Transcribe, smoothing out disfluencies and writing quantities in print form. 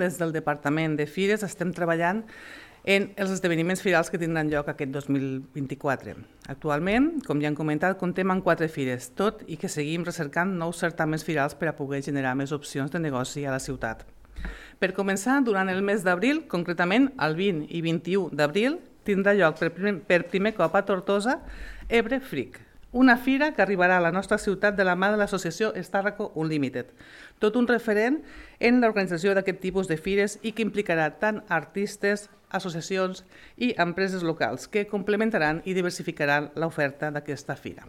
Des del Departament de Fires estem treballant en els esdeveniments firals que tindran lloc aquest 2024. Actualment, com ja hem comentat, comptem amb 4 fires, tot i que seguim recercant nous certàmens firals per a poder generar més opcions de negoci a la ciutat. Per començar, durant el mes d'abril, concretament el 20 i 21 d'abril, tindrà lloc per primer cop a Tortosa Ebre Freak, una fira que arribarà a la nostra ciutat de la mà de l'associació Starraco Unlimited, tot un referent en l'organització d'aquest tipus de fires i que implicarà tant artistes, associacions i empreses locals que complementaran i diversificaran l'oferta d'aquesta fira.